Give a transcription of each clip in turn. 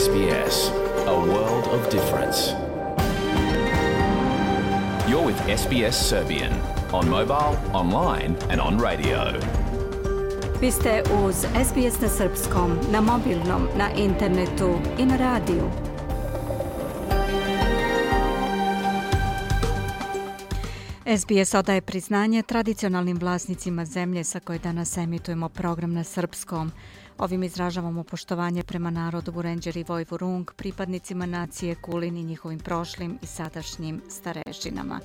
SBS, a world of difference. You're with SBS Serbian on mobile, online and on radio. Vi ste uz SBS na srpskom, na mobilnom, na internetu i na radiju. SBS odaje priznanje tradicionalnim vlasnicima zemlje sa koje danas emitujemo program na srpskom. Ovim izražavamo poštovanje prema narodu Vurenđer i Vojvurung, pripadnicima nacije Kulin i njihovim prošlim i sadašnjim starešinama.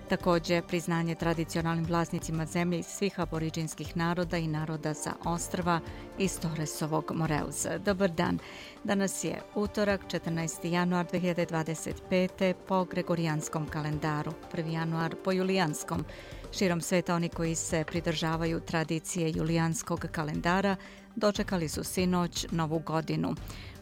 Također priznanje tradicionalnim vlasnicima zemlje iz svih aboriđinskih naroda i naroda sa ostrva iz Torresovog Moreuza. Dobar dan. Danas je utorak, 14. januar 2025. po gregorijanskom kalendaru, 1. januar po julijanskom. Širom sveta oni koji se pridržavaju tradicije julijanskog kalendara dočekali su sinoć Novu godinu.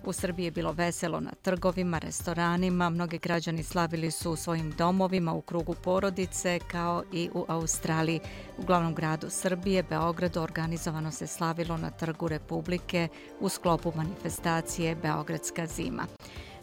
U Srbiji je bilo veselo na trgovima, restoranima, mnogi građani slavili su u svojim domovima u krugu porodice, kao i u Australiji. U glavnom gradu Srbije, Beogradu, organizovano se slavilo na Trgu Republike u sklopu manifestacije Beogradska zima.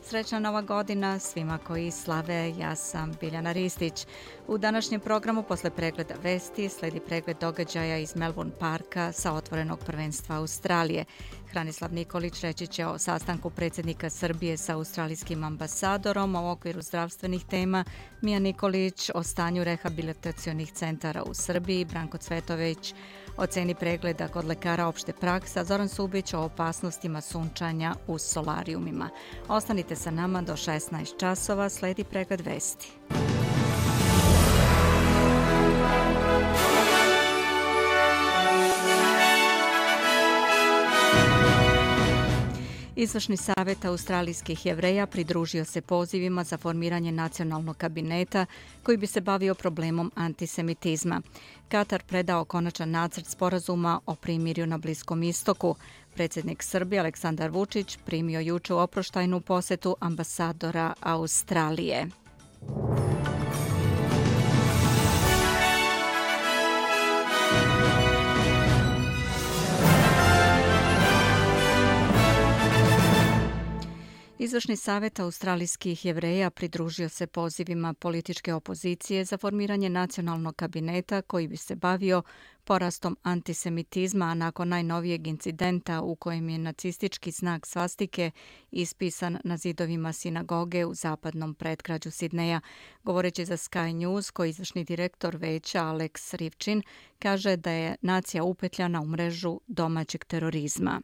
Srećna Nova godina svima koji slave, ja sam Biljana Ristić. U današnjem programu posle pregleda vesti sledi pregled događaja iz Melbourne Parka sa otvorenog prvenstva Australije. Hranislav Nikolić reći će o sastanku predsjednika Srbije sa australijskim ambasadorom u okviru zdravstvenih tema, Mija Nikolić o stanju rehabilitacionih centara u Srbiji, Branko Cvetović o ceni pregleda kod lekara opšte prakse, Zoran Subić o opasnostima sunčanja u solarijumima. Ostanite sa nama do 16 časova, sledi pregled vesti. Izvršni savjet australijskih Jevreja pridružio se pozivima za formiranje nacionalnog kabineta koji bi se bavio problemom antisemitizma. Katar predao konačan nacrt sporazuma o primirju na Bliskom istoku. Predsjednik Srbije Aleksandar Vučić primio juče u oproštajnu posetu ambasadora Australije. Izvršni savjet australijskih Jevreja pridružio se pozivima političke opozicije za formiranje nacionalnog kabineta koji bi se bavio porastom antisemitizma, a nakon najnovijeg incidenta u kojem je nacistički znak svastike ispisan na zidovima sinagoge u zapadnom predgrađu Sidneja. Govoreći za Sky News, koji izvršni direktor veća Alex Rivčin kaže da je nacija upetljana u mrežu domaćeg terorizma.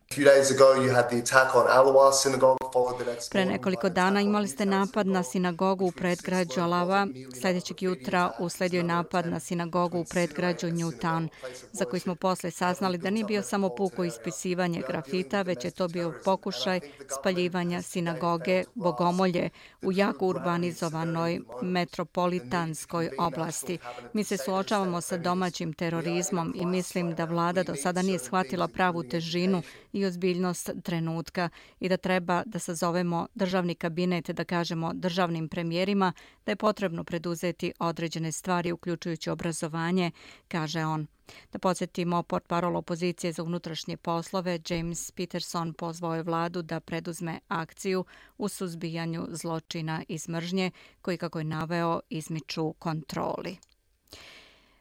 Pre nekoliko dana imali ste napad na sinagogu u predgrađu Alava. Sljedećeg jutra usledio je napad na sinagogu u predgrađu Newtown, za koji smo posle saznali da nije bio samo puko ispisivanje grafita, već je to bio pokušaj spaljivanja sinagoge Bogomolje u jako urbanizovanoj metropolitanskoj oblasti. Mi se suočavamo sa domaćim terorizmom i mislim da vlada do sada nije shvatila pravu težinu i ozbiljnost trenutka i da treba da sazovemo državni kabinet, da kažemo državnim premijerima da je potrebno preduzeti određene stvari, uključujući obrazovanje, kaže on. Da podsjetimo, portparol opozicije za unutrašnje poslove James Peterson pozvao je vladu da preduzme akciju u suzbijanju zločina iz mržnje koji, kako je naveo, izmiču kontroli.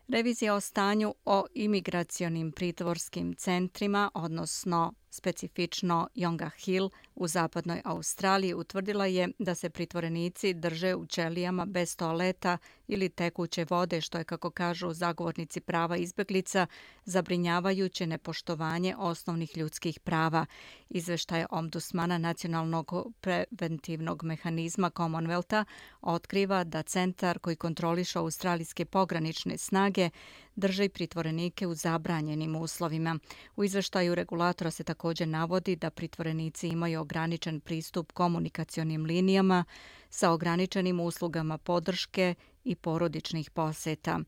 Revizija o stanju o imigracionim pritvorskim centrima, odnosno specifično Yongah Hill u zapadnoj Australiji, utvrdila je da se pritvorenici drže u ćelijama bez toaleta ili tekuće vode, što je, kako kažu zagovornici prava izbjeglica, zabrinjavajuće nepoštovanje osnovnih ljudskih prava. Izveštaj ombudsmana nacionalnog preventivnog mehanizma Commonwealtha otkriva da centar koji kontroliše australijske pogranične snage drži pritvorenike u zabranjenim uslovima. U izveštaju regulatora se također navodi da pritvorenici imaju ograničen pristup komunikacionim linijama sa ograničenim uslugama podrške i porodičnih poseta.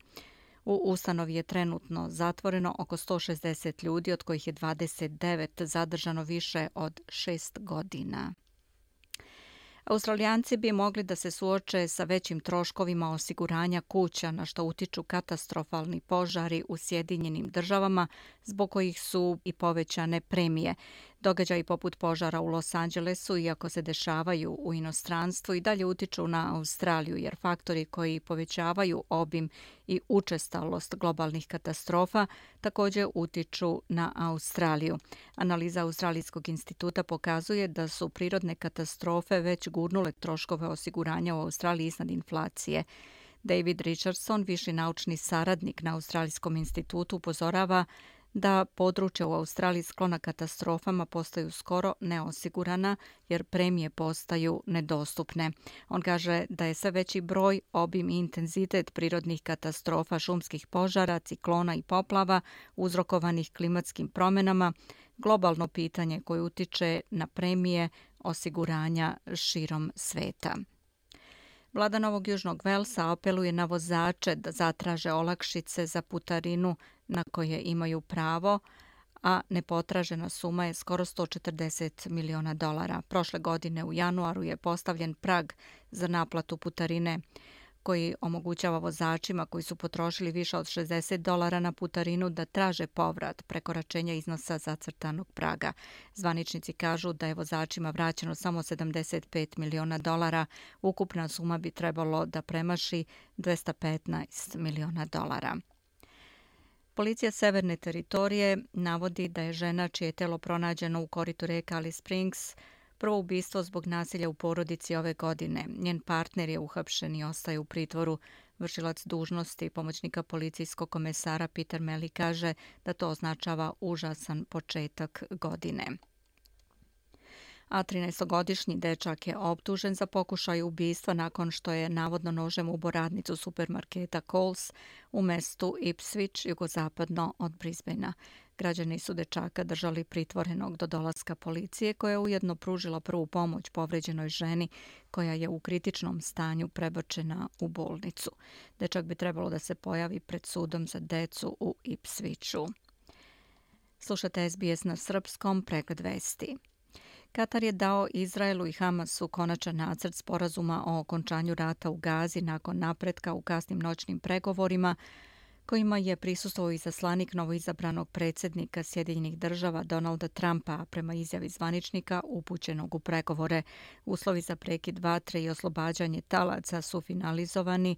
U ustanovi je trenutno zatvoreno oko 160 ljudi, od kojih je 29 zadržano više od 6 godina. Australijanci bi mogli da se suoče sa većim troškovima osiguranja kuća, na što utiču katastrofalni požari u Sjedinjenim Državama, zbog kojih su i povećane premije. Događaji poput požara u Los Angelesu, iako se dešavaju u inostranstvu, i dalje utiču na Australiju, jer faktori koji povećavaju obim i učestalost globalnih katastrofa također utiču na Australiju. Analiza Australijskog instituta pokazuje da su prirodne katastrofe već gurnule troškove osiguranja u Australiji iznad inflacije. David Richardson, viši naučni saradnik na Australijskom institutu, upozorava da područja u Australiji sklona katastrofama postaju skoro neosigurana jer premije postaju nedostupne. On kaže da je sve veći broj, obim i intenzitet prirodnih katastrofa, šumskih požara, ciklona i poplava uzrokovanih klimatskim promjenama globalno pitanje koje utiče na premije osiguranja širom sveta. Vlada Novog Južnog Velsa apeluje na vozače da zatraže olakšice za putarinu na koje imaju pravo, a nepotražena suma je skoro $140 miliona. Prošle godine u januaru je postavljen prag za naplatu putarine koji omogućava vozačima koji su potrošili više od $60 na putarinu da traže povrat prekoračenja iznosa zacrtanog praga. Zvaničnici kažu da je vozačima vraćeno samo $75 miliona. Ukupna suma bi trebalo da premaši $215 miliona. Policija Severne teritorije navodi da je žena čije je telo pronađeno u koritu reke Alice Springs prvo ubistvo zbog nasilja u porodici ove godine. Njen partner je uhapšen i ostaje u pritvoru. Vršilac dužnosti pomoćnika policijskog komesara Peter Meli kaže da to označava užasan početak godine. A 13-godišnji dečak je optužen za pokušaj ubistva nakon što je navodno nožem ubio radnicu supermarketa Coles u mestu Ipswich, jugozapadno od Brisbanea. Građani su dečaka držali pritvorenog do dolaska policije, koja je ujedno pružila prvu pomoć povređenoj ženi koja je u kritičnom stanju prebačena u bolnicu. Dečak bi trebalo da se pojavi pred sudom za decu u Ipswichu. Slušate SBS na srpskom, pregled vesti. Katar je dao Izraelu i Hamasu konačan nacrt sporazuma o okončanju rata u Gazi nakon napretka u kasnim noćnim pregovorima kojima je prisustvovao izaslanik novoizabranog predsjednika Sjedinjenih Država Donalda Trumpa, prema izjavi zvaničnika upućenog u pregovore. Uslovi za prekid vatre i oslobađanje talaca su finalizovani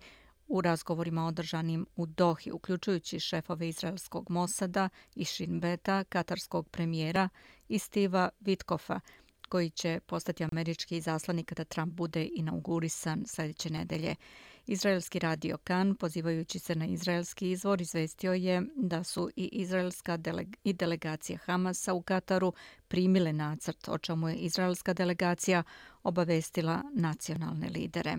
u razgovorima održanim u Dohi, uključujući šefove izraelskog Mosada i Shin Beta, katarskog premijera i Steva Witkoffa, koji će postati američki izaslanik kada Trump bude inaugurisan sljedeće nedelje. Izraelski radio Kan, pozivajući se na izraelski izvor, izvestio je da su i izraelska i delegacija Hamasa u Kataru primile nacrt, o čemu je izraelska delegacija obavestila nacionalne lidere.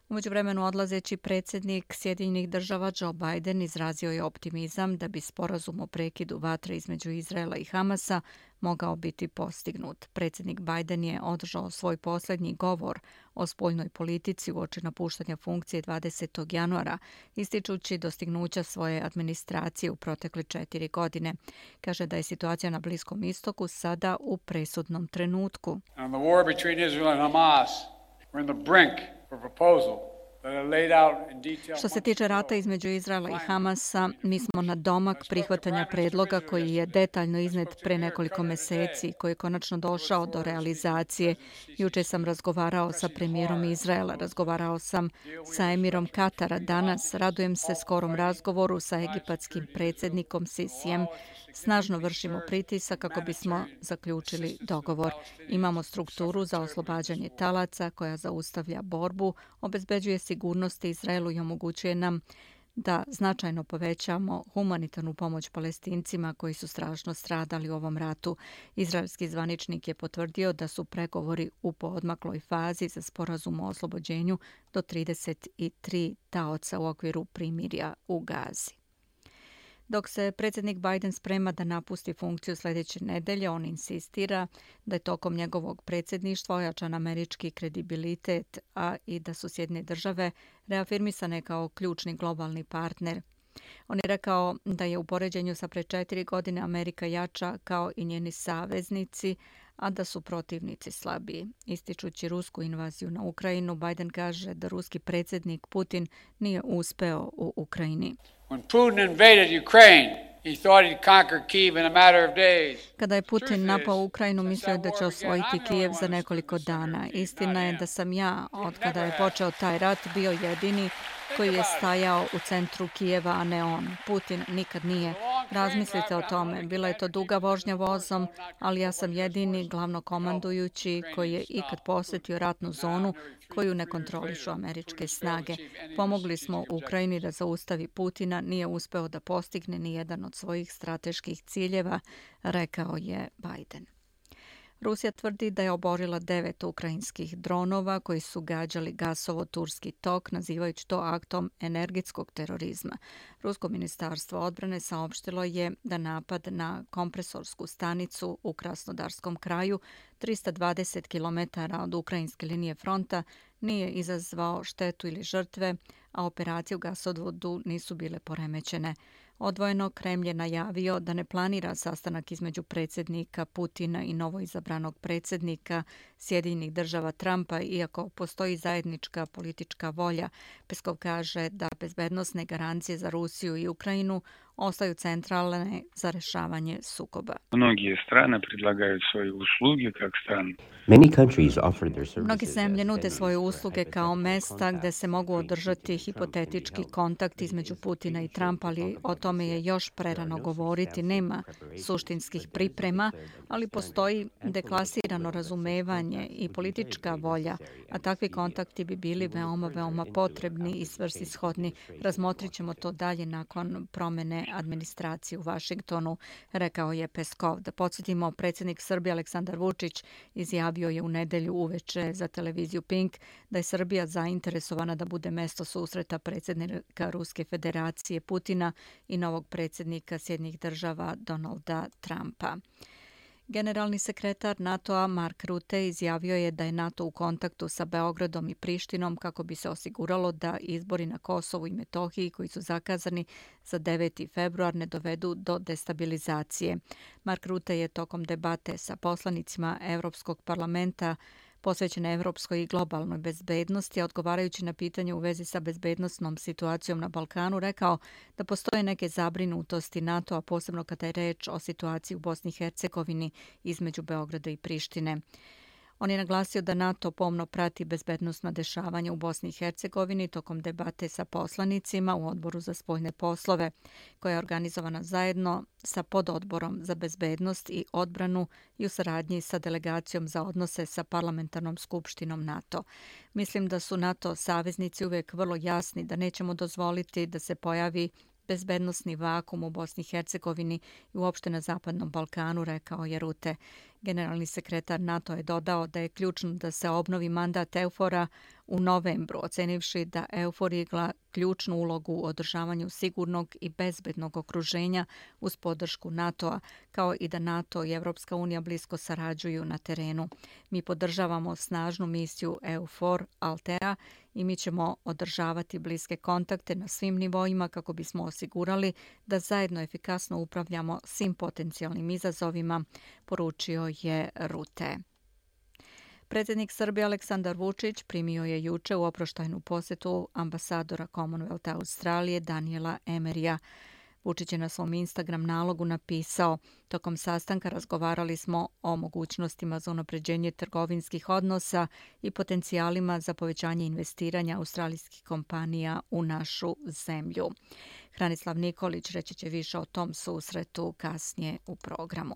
U međuvremenu odlazeći predsjednik Sjedinjenih Država Joe Biden izrazio je optimizam da bi sporazum o prekidu vatre između Izraela i Hamasa mogao biti postignut. Predsjednik Biden je održao svoj posljednji govor o spoljnoj politici uoči napuštanja funkcije 20. januara, ističući dostignuća svoje administracije u protekle 4 godine. Kaže da je situacija na Bliskom istoku sada u presudnom trenutku. And the war between Israel and Hamas, we're in the brink of a proposal. Što se tiče rata između Izraela i Hamasa, mi smo na domak prihvatanja predloga koji je detaljno iznet pre nekoliko meseci, koji je konačno došao do realizacije. Juče sam razgovarao sa premijerom Izraela, razgovarao sam sa emirom Katara. Danas radujem se skorom razgovoru sa egipatskim predsjednikom Sisijem. Snažno vršimo pritisak kako bismo zaključili dogovor. Imamo strukturu za oslobađanje talaca koja zaustavlja borbu, obezbeđuje sigurnost Izraelu i omogućuje nam da značajno povećamo humanitarnu pomoć Palestincima koji su strašno stradali u ovom ratu. Izraelski zvaničnik je potvrdio da su pregovori u poodmakloj fazi za sporazum o oslobođenju do 33 taoca u okviru primirja u Gazi. Dok se predsjednik Biden sprema da napusti funkciju sljedeće nedelje, on insistira da je tokom njegovog predsjedništva ojačan američki kredibilitet, a i da su Sjedinjene Države reafirmisane kao ključni globalni partner. On je rekao da je u poređenju sa pre 4 godine Amerika jača kao i njeni saveznici, a da su protivnici slabiji. Ističući rusku invaziju na Ukrajinu, Biden kaže da ruski predsjednik Putin nije uspeo u Ukrajini. When Putin invaded Ukraine He thought he'd conquer Kyiv in a matter of days. Kada je Putin napao Ukrajinu, mislio je da će osvojiti Kijev za nekoliko dana. Istina je da sam ja, od kada je počeo taj rat, bio jedini koji je stajao u centru Kijeva, a ne on. Putin nikad nije. Razmislite o tome. Bila je to duga vožnja vozom, ali ja sam jedini glavnokomandujući koji je ikad posjetio ratnu zonu koju ne kontrolišu američke snage. Pomogli smo Ukrajini da zaustavi Putina, nije uspeo da postigne ni jedan od svojih strateških ciljeva, rekao je Biden. Rusija tvrdi da je oborila 9 ukrajinskih dronova koji su gađali gasovod Turski tok, nazivajući to aktom energetskog terorizma. Rusko ministarstvo odbrane saopštilo je da napad na kompresorsku stanicu u Krasnodarskom kraju, 320 km od ukrajinske linije fronta, nije izazvao štetu ili žrtve, a operacije u gasovodu nisu bile poremećene. Odvojeno, Kremlj je najavio da ne planira sastanak između predsjednika Putina i novoizabranog predsjednika Sjedinjenih država Trumpa, iako postoji zajednička politička volja. Peskov kaže da bezbednosne garancije za Rusiju i Ukrajinu ostaju centralne za rešavanje sukoba. Mnoge strane predlagaju svoje usluge kao strane. Mnogi zemlje nude svoje usluge kao mesta gde se mogu održati hipotetički kontakt između Putina i Trumpa, ali o tome je još prerano govoriti. Nema suštinskih priprema, ali postoji deklasirano razumevanje i politička volja, a takvi kontakti bi bili veoma potrebni i svrsishodni. Razmotrit ćemo to dalje nakon promene administracije u Vašingtonu, rekao je Peskov. Da podsjetimo, predsjednik Srbije Aleksandar Vučić izjavio je u nedelju uveče za televiziju Pink da je Srbija zainteresovana da bude mesto susreta predsjednika Ruske federacije Putina i novog predsjednika Sjedinjenih država Donalda Trumpa. Generalni sekretar NATO-a Mark Rutte izjavio je da je NATO u kontaktu sa Beogradom i Prištinom kako bi se osiguralo da izbori na Kosovu i Metohiji koji su zakazani za 9. februar ne dovedu do destabilizacije. Mark Rutte je tokom debate sa poslanicima Evropskog parlamenta posvećene evropskoj i globalnoj bezbednosti, a odgovarajući na pitanje u vezi sa bezbednosnom situacijom na Balkanu, rekao da postoje neke zabrinutosti NATO-a, posebno kada je reč o situaciji u Bosni i Hercegovini između Beograda i Prištine. On je naglasio da NATO pomno prati bezbednosna dešavanja u Bosni i Hercegovini tokom debate sa poslanicima u Odboru za spoljne poslove, koja je organizovana zajedno sa pododborom za bezbednost i odbranu i u saradnji sa delegacijom za odnose sa parlamentarnom skupštinom NATO. Mislim da su NATO saveznici uvijek vrlo jasni da nećemo dozvoliti da se pojavi bezbednosni vakum u Bosni i Hercegovini i uopšte na Zapadnom Balkanu, rekao je Rutte. Generalni sekretar NATO je dodao da je ključno da se obnovi mandat EUFOR-a u novembru, ocenivši da EUFOR igra ključnu ulogu u održavanju sigurnog i bezbednog okruženja uz podršku NATO-a, kao i da NATO i Evropska unija blisko sarađuju na terenu. Mi podržavamo snažnu misiju EUFOR Altea i mi ćemo održavati bliske kontakte na svim nivoima kako bismo osigurali da zajedno efikasno upravljamo svim potencijalnim izazovima, poručio je Rutte. Predsjednik Srbije Aleksandar Vučić primio je juče u oproštajnu posjetu ambasadora Commonwealtha Australije Daniela Emeryja. Vučić je na svom Instagram nalogu napisao: tokom sastanka razgovarali smo o mogućnostima za unapređenje trgovinskih odnosa i potencijalima za povećanje investiranja australijskih kompanija u našu zemlju. Hranislav Nikolić reći će više o tom susretu kasnije u programu.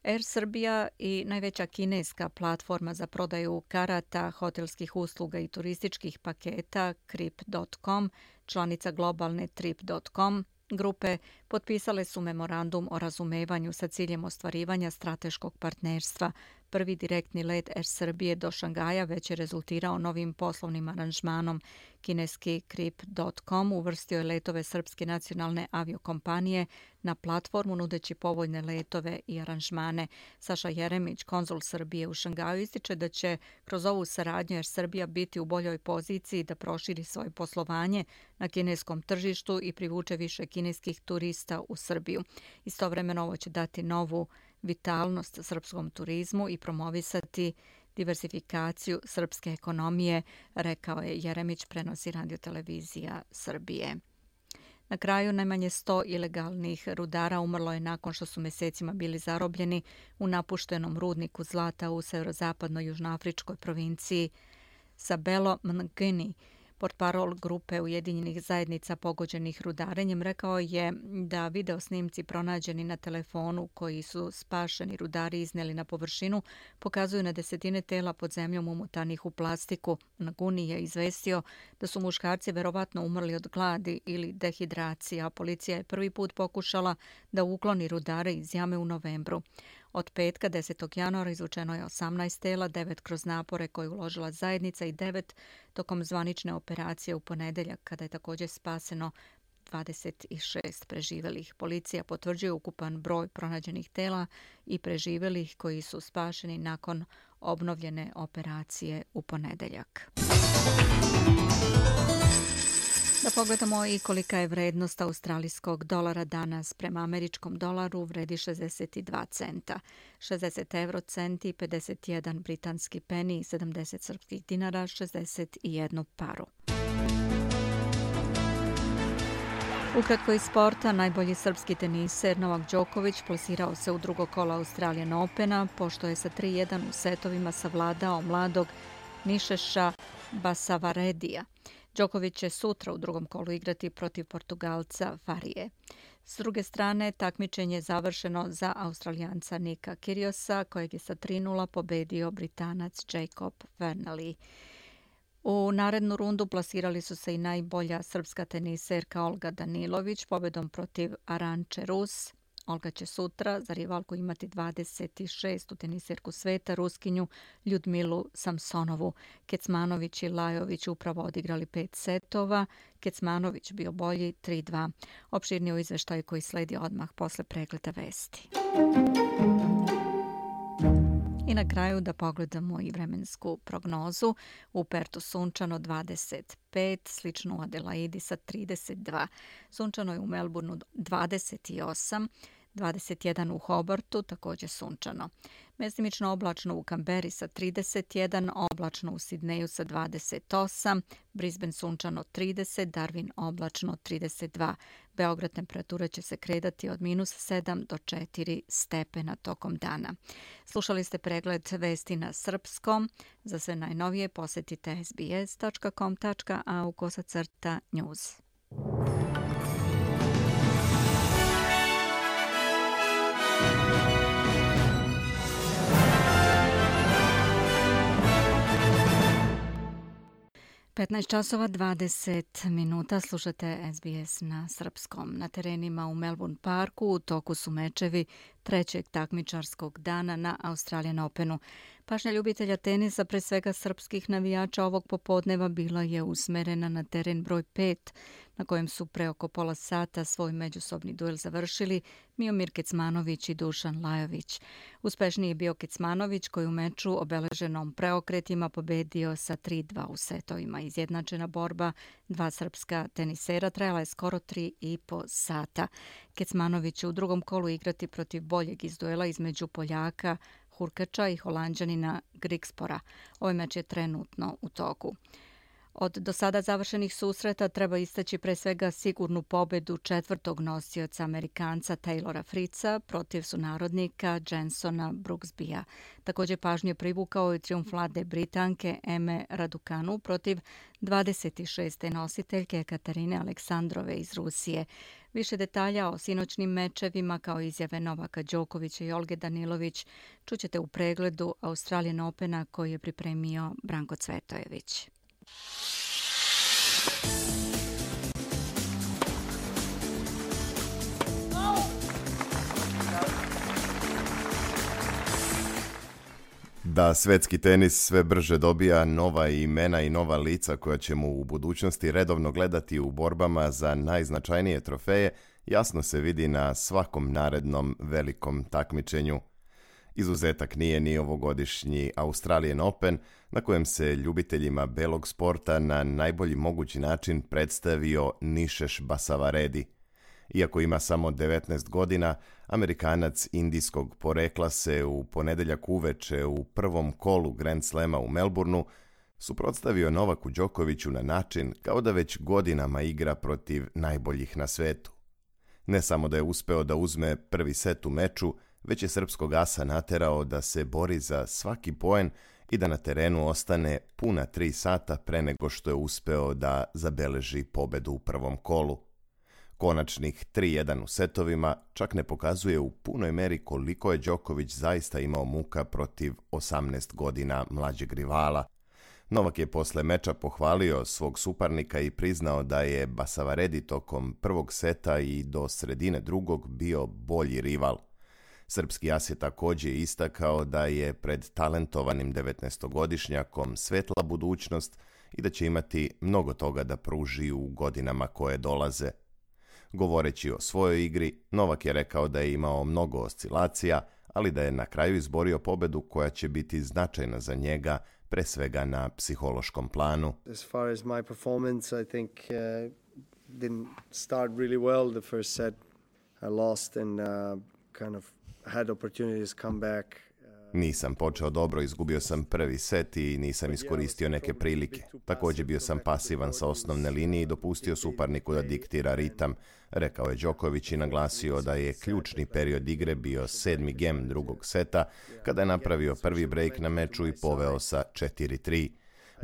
Air Srbija i najveća kineska platforma za prodaju karata, hotelskih usluga i turističkih paketa Trip.com, članica globalne Trip.com grupe, potpisale su memorandum o razumevanju sa ciljem ostvarivanja strateškog partnerstva. Prvi direktni let Air Srbije do Šangaja već je rezultirao novim poslovnim aranžmanom. Kineski Trip.com uvrstio je letove Srpske nacionalne aviokompanije na platformu nudeći povoljne letove i aranžmane. Saša Jeremić, konzul Srbije u Šangaju, ističe da će kroz ovu saradnju Air Srbija biti u boljoj poziciji da proširi svoje poslovanje na kineskom tržištu i privuče više kineskih turista u Srbiju. Istovremeno ovo će dati novu vitalnost srpskom turizmu i promovisati diversifikaciju srpske ekonomije, rekao je Jeremić, prenosi radiotelevizija Srbije. Na kraju najmanje 100 ilegalnih rudara umrlo je nakon što su mjesecima bili zarobljeni u napuštenom rudniku zlata u severozapadnoj južnoafričkoj provinciji Sabelo Mngini. Portparol grupe Ujedinjenih zajednica pogođenih rudarenjem rekao je da video snimci pronađeni na telefonu koji su spašeni rudari iznijeli na površinu pokazuju na desetine tela pod zemljom umotanih u plastiku. Nguni je izvestio da su muškarci verovatno umrli od gladi ili dehidracije, a policija je prvi put pokušala da ukloni rudare iz jame u novembru. Od petka 10. januara izvučeno je 18 tela, 9 kroz napore koje je uložila zajednica i 9 tokom zvanične operacije u ponedeljak, kada je također spaseno 26 preživelih. Policija potvrđuje ukupan broj pronađenih tela i preživelih koji su spašeni nakon obnovljene operacije u ponedeljak. Da pogledamo i kolika je vrednost australijskog dolara danas. Prema američkom dolaru vredi 62 centa, 60 eurocenti, 51 britanski peni, 70 srpskih dinara, 61 paru. Ukratko iz sporta, najbolji srpski teniser Novak Đoković plasirao se u drugo kolo Australian Opena, pošto je sa 3-1 u setovima savladao mladog Nišeša Basavaredija. Đoković će sutra u drugom kolu igrati protiv Portugalca Farije. S druge strane, takmičenje je završeno za Australijanca Nika Kyrgiosa, kojeg je sa 3-0 pobedio Britanac Jacob Fernley. U narednu rundu plasirali su se i najbolja srpska teniserka Olga Danilović pobedom protiv Aranče Rus. Olga će sutra za rivalku imati 26. teniserku sveta, Ruskinju Ljudmilu Samsonovu. Kecmanović i Lajović upravo odigrali 5 setova. Kecmanović bio bolji 3-2. Opširni u izveštaju koji sledi odmah posle pregleda vesti. I na kraju da pogledamo i vremensku prognozu. U Pertu sunčano 25, slično u Adelaidi sa 32. Sunčano je u Melbourneu 28, 21 u Hobartu, također sunčano. Mestimično oblačno u Kamberi sa 31, oblačno u Sidneju sa 28, Brisbane sunčano 30, Darwin oblačno 32. Beograd temperatura će se kretati od -7 do 4 stepena tokom dana. Slušali ste pregled vesti na srpskom. Za sve najnovije posjetite sbs.com.au/news. (15:20) slušate SBS na srpskom. Na terenima u Melbourne Parku u toku su mečevi trećeg takmičarskog dana na Australian Openu. Pažnja ljubitelja tenisa, pre svega srpskih navijača, ovog popodneva bila je usmerena na teren broj 5, na kojem su pre oko pola sata svoj međusobni duel završili Miomir Kecmanović i Dušan Lajović. Uspešniji je bio Kecmanović, koji u meču obeleženom preokretima pobedio sa 3-2 u setovima. Izjednačena borba dva srpska tenisera trajala je skoro 3,5 sata. Kecmanović će u drugom kolu igrati protiv boljeg iz duela između Poljaka Hurkača i Holanđanina Grigspora. Ovaj meč je trenutno u toku. Od do sada završenih susreta treba istaći pre svega sigurnu pobedu četvrtog nosioca Amerikanca Taylora Fritza protiv sunarodnika Jensona Brooksbya. Također pažnju je privukao i trijumf mlade Britanke Eme Raducanu protiv 26. nositeljke Katarine Aleksandrove iz Rusije. Više detalja o sinoćnim mečevima kao izjave Novaka Đokovića i Olge Danilović čućete u pregledu Australian Opena koji je pripremio Branko Cvetojević. Da svetski tenis sve brže dobija nova imena i nova lica koja ćemo u budućnosti redovno gledati u borbama za najznačajnije trofeje, jasno se vidi na svakom narednom velikom takmičenju. Izuzetak nije ni ovogodišnji Australian Open, na kojem se ljubiteljima belog sporta na najbolji mogući način predstavio Nišeš Basavaredi. Iako ima samo 19 godina, Amerikanac indijskog porekla se u ponedeljak uveče u prvom kolu Grand Slema u Melbourneu suprotstavio Novaku Đokoviću na način kao da već godinama igra protiv najboljih na svetu. Ne samo da je uspeo da uzme prvi set u meču, već je srpskog asa naterao da se bori za svaki poen i da na terenu ostane puna 3 sata pre nego što je uspeo da zabeleži pobedu u prvom kolu. Konačnih 3-1 u setovima čak ne pokazuje u punoj meri koliko je Đoković zaista imao muka protiv 18 godina mlađeg rivala. Novak je posle meča pohvalio svog suparnika i priznao da je Basavaredi tokom prvog seta i do sredine drugog bio bolji rival. Srpski as je također istakao da je pred talentovanim 19-godišnjakom svetla budućnost i da će imati mnogo toga da pruži u godinama koje dolaze. Govoreći o svojoj igri, Novak je rekao da je imao mnogo oscilacija, ali da je na kraju izborio pobedu koja će biti značajna za njega, pre svega na psihološkom planu. As far as my performance, I think didn't start really well the first set. I lost and kind of had opportunities come back. Nisam počeo dobro, izgubio sam prvi set i nisam iskoristio neke prilike. Također bio sam pasivan sa osnovne linije i dopustio suparniku da diktira ritam, rekao je Đoković i naglasio da je ključni period igre bio 7. gem drugog seta, kada je napravio prvi break na meču i poveo sa 4-3.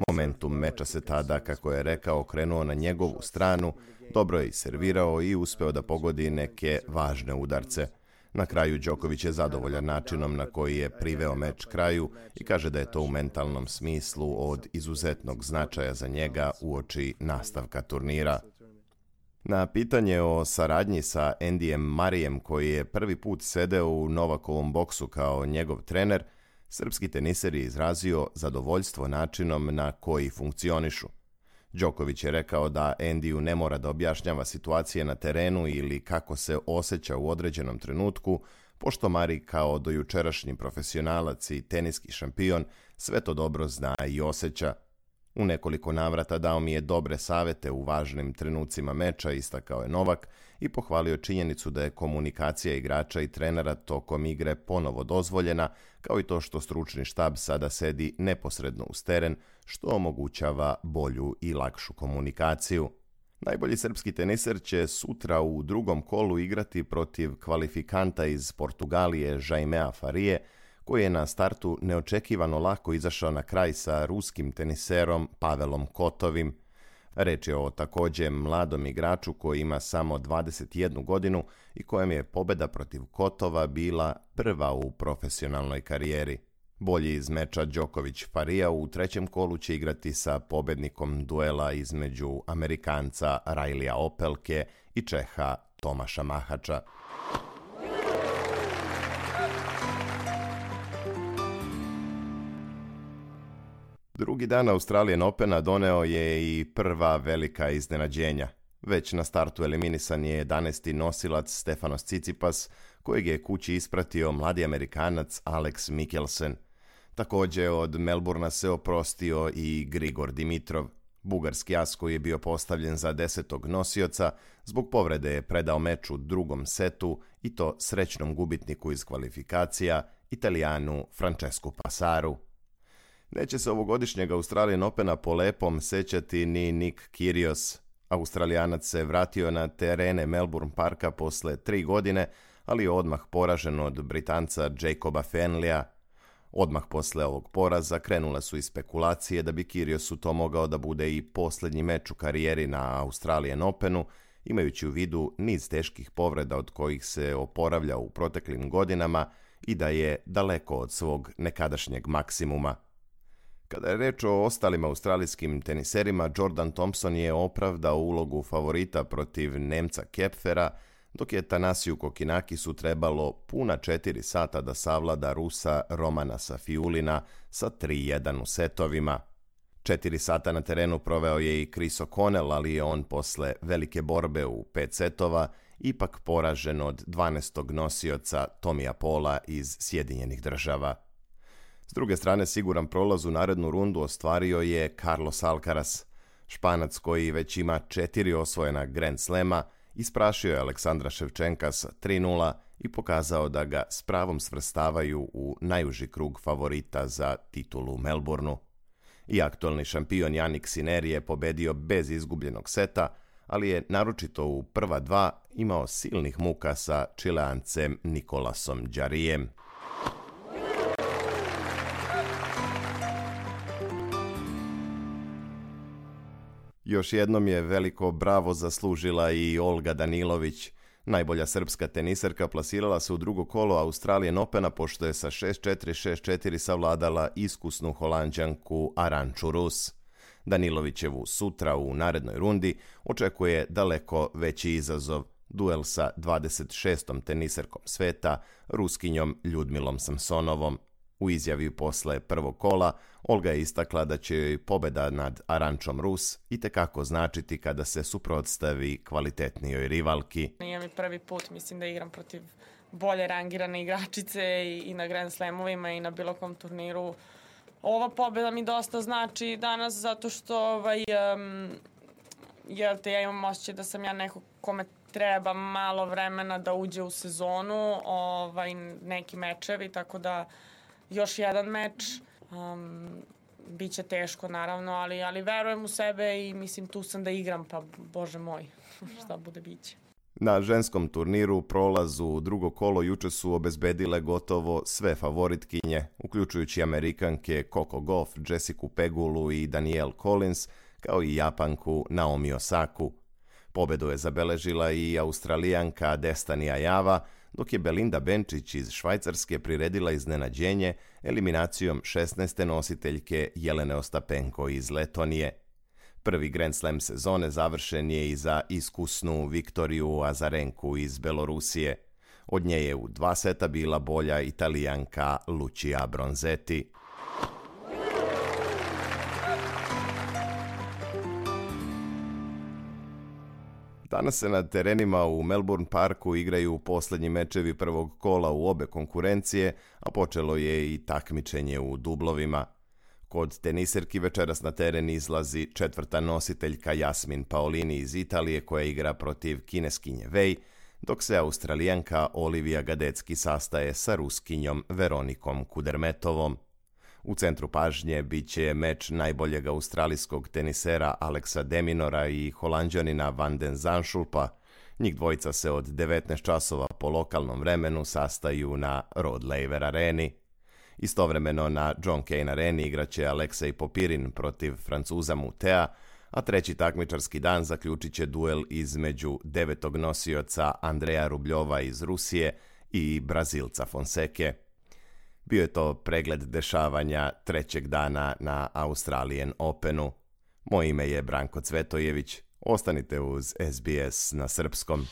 Momentum meča se tada, kako je rekao, krenuo na njegovu stranu, dobro je i servirao i uspeo da pogodi neke važne udarce. Na kraju Đoković je zadovoljan načinom na koji je priveo meč kraju i kaže da je to u mentalnom smislu od izuzetnog značaja za njega uoči nastavka turnira. Na pitanje o saradnji sa Andyjem Murrayem, koji je prvi put sedeo u Novakovom boksu kao njegov trener, srpski teniser je izrazio zadovoljstvo načinom na koji funkcionišu. Đoković je rekao da Andyju ne mora da objašnjava situacije na terenu ili kako se osjeća u određenom trenutku, pošto Murray kao dojučerašnji profesionalac i teniski šampion sve to dobro zna i osjeća. U nekoliko navrata dao mi je dobre savete u važnim trenucima meča, istakao je Novak i pohvalio činjenicu da je komunikacija igrača i trenera tokom igre ponovo dozvoljena, kao i to što stručni štab sada sedi neposredno uz teren, što omogućava bolju i lakšu komunikaciju. Najbolji srpski teniser će sutra u drugom kolu igrati protiv kvalifikanta iz Portugalije Jaimea Farije, koji je na startu neočekivano lako izašao na kraj sa ruskim teniserom Pavelom Kotovim. Reč je o također mladom igraču koji ima samo 21 godinu i kojem je pobeda protiv Kotova bila prva u profesionalnoj karijeri. Bolji iz meča Đoković-Farija u trećem kolu će igrati sa pobednikom duela između Amerikanca Rajlija Opelke i Čeha Tomaša Mahača. Drugi dan Australian Opena doneo je i prva velika iznenađenja. Već na startu eliminisan je 11. nosilac Stefanos Tsitsipas, kojeg je kući ispratio mladi Amerikanac Alex Mikkelsen. Također od Melbourna se oprostio i Grigor Dimitrov. Bugarski as koji je bio postavljen za 10. nosioca, zbog povrede je predao meč u drugom setu i to srećnom gubitniku iz kvalifikacija, Italijanu Francescu Passaru. Neće se ovogodišnjeg Australian Opena po lepom sećati ni Nick Kyrgios. Australijanac se vratio na terene Melbourne Parka posle 3 godine, ali je odmah poražen od Britanca Jacoba Fenleya. Odmah posle ovog poraza krenule su i spekulacije da bi Kyrgiosu to mogao da bude i posljednji meč u karijeri na Australian Openu, imajući u vidu niz teških povreda od kojih se oporavlja u proteklim godinama i da je daleko od svog nekadašnjeg maksimuma. Kada je reč o ostalim australijskim teniserima, Jordan Thompson je opravdao ulogu favorita protiv Nemca Kepfera, dok je Tanasiju Kokinakisu trebalo puna 4 sata da savlada Rusa Romana Safiulina sa 3-1 u setovima. 4 sata na terenu proveo je i Chris O'Connell, ali je on posle velike borbe u 5 setova ipak poražen od 12. nosioca Tomija Paula iz Sjedinjenih Država. S druge strane, siguran prolaz u narednu rundu ostvario je Carlos Alcaraz. Španac koji već ima 4 osvojena Grand Slema, isprašio je Aleksandra Ševčenka sa 3-0 i pokazao da ga s pravom svrstavaju u najuži krug favorita za titulu u Melbourneu. I aktualni šampion Jannik Sinner je pobedio bez izgubljenog seta, ali je naročito u prva dva imao silnih muka sa Čileancem Nikolasom Džarijem. Još jednom je veliko bravo zaslužila i Olga Danilović. Najbolja srpska teniserka plasirala se u drugo kolo Australian Opena pošto je sa 6-4, 6-4 savladala iskusnu Holanđanku Arantxu Rus. Danilovićevu sutra u narednoj rundi očekuje daleko veći izazov, duel sa 26. teniserkom sveta, Ruskinjom Ljudmilom Samsonovom. U izjavi posle prvog kola, Olga je istakla da će joj pobeda nad Arantxom Rus itekako značiti kada se suprotstavi kvalitetnijoj rivalki. Nije mi prvi put, mislim da igram protiv bolje rangirane igračice i na Grand Slamovima i na bilo kom turniru. Ova pobeda mi dosta znači danas zato što ja imam osjećaj da sam ja neko kome treba malo vremena da uđe u sezonu, neki mečevi, tako da još jedan meč. Biće teško naravno, ali verujem u sebe i mislim tu sam da igram, pa bože moj, šta bude biće. Na ženskom turniru prolaz u drugo kolo juče su obezbedile gotovo sve favoritkinje, uključujući Amerikanke Coco Gauff, Jessica Pegulu i Danielle Collins, kao i Japanku Naomi Osaku. Pobedu je zabeležila i Australijanka Destiny Ajava, dok je Belinda Benčić iz Švajcarske priredila iznenađenje eliminacijom 16. nositeljke Jelene Ostapenko iz Letonije. Prvi Grand Slam sezone završen je i za iskusnu Viktoriju Azarenku iz Belorusije. Od nje je u 2 seta bila bolja Italijanka Lucia Bronzetti. Danas se na terenima u Melbourne Parku igraju posljednji mečevi prvog kola u obe konkurencije, a počelo je i takmičenje u dublovima. Kod teniserki večeras na teren izlazi 4. nositeljka Jasmin Paolini iz Italije koja igra protiv kineskinje Wei, dok se Australijanka Olivia Gadecki sastaje sa Ruskinjom Veronikom Kudermetovom. U centru pažnje bit će meč najboljeg australijskog tenisera Alexa de Minaura i Holanđanina Van den Zandschulpa. Njih dvojica se od 19 časova po lokalnom vremenu sastaju na Rod Laver areni. Istovremeno na John Cain areni igraće Aleksej Popirin protiv Francuza Mutea, a treći takmičarski dan zaključit će duel između 9. nosioca Andreja Rubljova iz Rusije i Brazilca Fonseke. Bio je to pregled dešavanja trećeg dana na Australian Openu. Moje ime je Branko Cvetojević. Ostanite uz SBS na srpskom.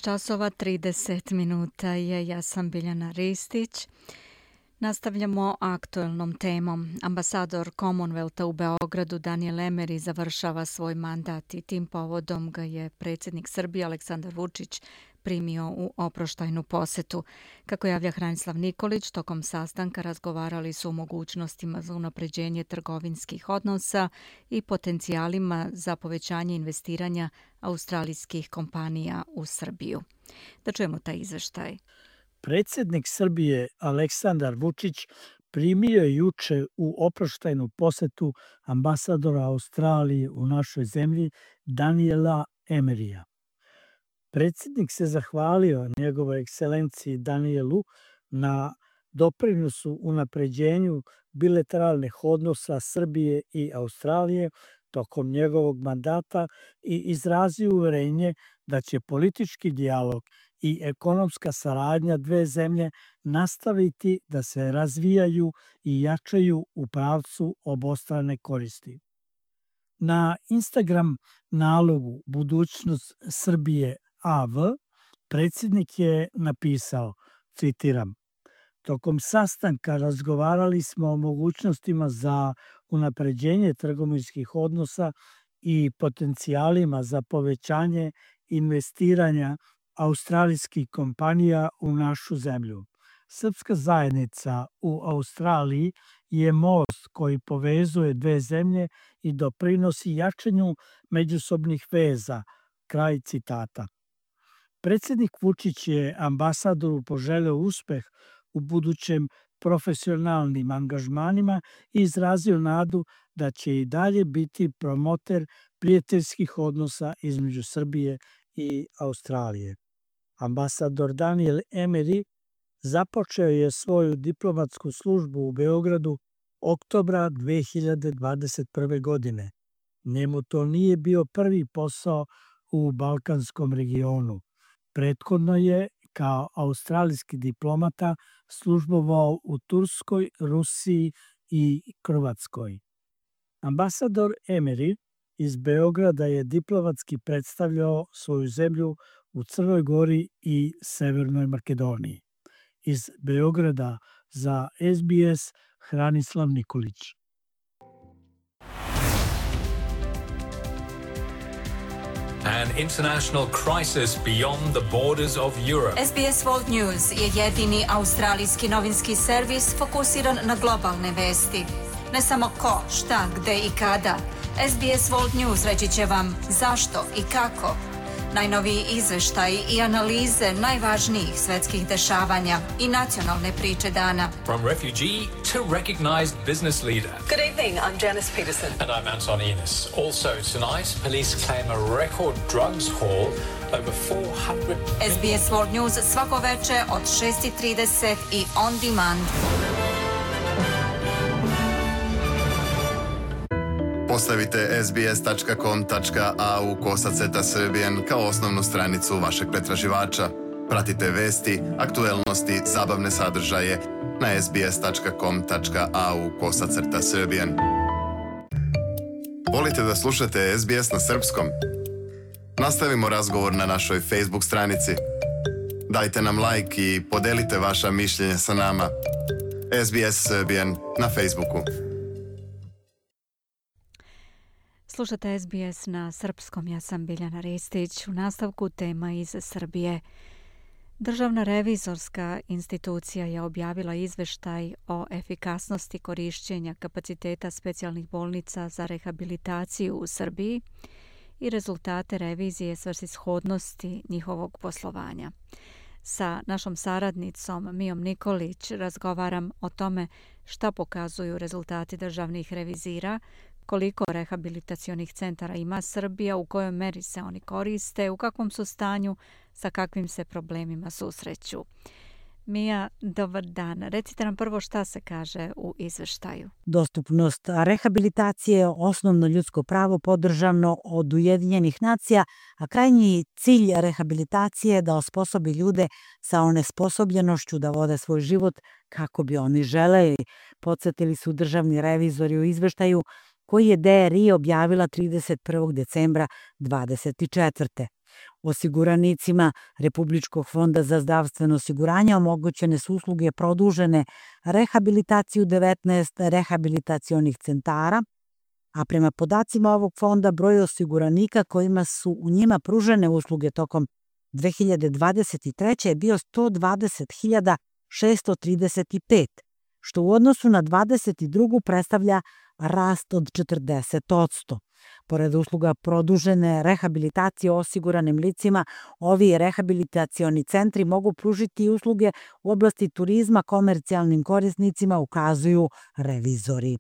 časova 30 minuta je, ja sam Biljana Ristić. Nastavljamo aktuelnom temom. Ambasador Commonwealtha u Beogradu Daniel Emery završava svoj mandat i tim povodom ga je predsjednik Srbije Aleksandar Vučić primio u oproštajnu posetu. Kako javlja Hranislav Nikolić, tokom sastanka razgovarali su o mogućnostima za unapređenje trgovinskih odnosa i potencijalima za povećanje investiranja australijskih kompanija u Srbiju. Da čujemo taj izveštaj. Predsjednik Srbije Aleksandar Vučić primio je juče u oproštajnu posetu ambasadora Australije u našoj zemlji Daniela Emeryja. Predsjednik se zahvalio njegovoj ekscelenciji Danielu na doprinosu unapređenju bilateralnih odnosa Srbije i Australije tokom njegovog mandata i izrazio uverenje da će politički dijalog i ekonomska saradnja dve zemlje nastaviti da se razvijaju i jačaju u pravcu obostrane koristi. Na Instagram nalogu Budućnost Srbije AV predsjednik je napisao, citiram, tokom sastanka razgovarali smo o mogućnostima za unapređenje trgovinskih odnosa i potencijalima za povećanje investiranja australijskih kompanija u našu zemlju. Srpska zajednica u Australiji je most koji povezuje dve zemlje i doprinosi jačanju međusobnih veza, Kraj citata. Predsjednik Vučić je ambasadoru poželeo uspeh u budućem profesionalnim angažmanima i izrazio nadu da će i dalje biti promoter prijateljskih odnosa između Srbije i Australije. Ambasador Daniel Emery započeo je svoju diplomatsku službu u Beogradu oktobra 2021. godine. Njemu to nije bio prvi posao u balkanskom regionu. Prethodno je kao australijski diplomata službovao u Turskoj, Rusiji i Hrvatskoj. Ambasador Emery iz Beograda je diplomatski predstavljao svoju zemlju u Crnoj Gori i Severnoj Makedoniji. Iz Beograda za SBS Hranislav Nikolić. An international crisis beyond the borders of Europe. SBS World News je jedini australijski novinski servis fokusiran na globalne vesti. Ne samo ko, šta, gde i kada. SBS World News reći će vam zašto i kako. Najnoviji izveštaji i analize najvažnijih svetskih dešavanja i nacionalne priče dana. From refugee to recognized business leader. Good evening, I'm Janice Peterson. And I'm Anton Enos. Also tonight, police claim a record drugs haul over 400... SBS World News svako veče od 6:30 i on demand. Postavite sbs.com.au/Serbian kao osnovnu stranicu vašeg pretraživača. Pratite vesti, aktuelnosti, zabavne sadržaje na sbs.com.au/Serbian. Volite da slušate SBS na srpskom? Nastavimo razgovor na našoj Facebook stranici. Dajte nam like i podelite vaša mišljenja sa nama. SBS Serbian na Facebooku. Slušate SBS na srpskom, ja sam Biljana Ristić. U nastavku tema iz Srbije. Državna revizorska institucija je objavila izveštaj o efikasnosti korišćenja kapaciteta specijalnih bolnica za rehabilitaciju u Srbiji i rezultate revizije svrsishodnosti njihovog poslovanja. Sa našom saradnicom Mijom Nikolić razgovaram o tome šta pokazuju rezultati državnih revizira, koliko rehabilitacionih centara ima Srbija, u kojoj meri se oni koriste, u kakvom su stanju, sa kakvim se problemima susreću. Mija, dobar dan. Recite nam prvo šta se kaže u izveštaju. Dostupnost rehabilitacije je osnovno ljudsko pravo podržano od Ujedinjenih nacija, a krajnji cilj rehabilitacije je da osposobi ljude sa onesposobljenošću da vode svoj život kako bi oni želeli. Podsjetili su državni revizori u izveštaju koji je DRI objavila 31. decembra 2024. Osiguranicima Republičkog fonda za zdravstveno osiguranje omogućene su usluge produžene rehabilitaciju 19 rehabilitacionih centara, a prema podacima ovog fonda broj osiguranika kojima su u njima pružene usluge tokom 2023. je bio 120.635, što u odnosu na 2022. predstavlja rast od 40%. Pored usluga produžene rehabilitacije osiguranim licima, ovi rehabilitacioni centri mogu pružiti i usluge u oblasti turizma komercijalnim korisnicima, ukazuju revizori.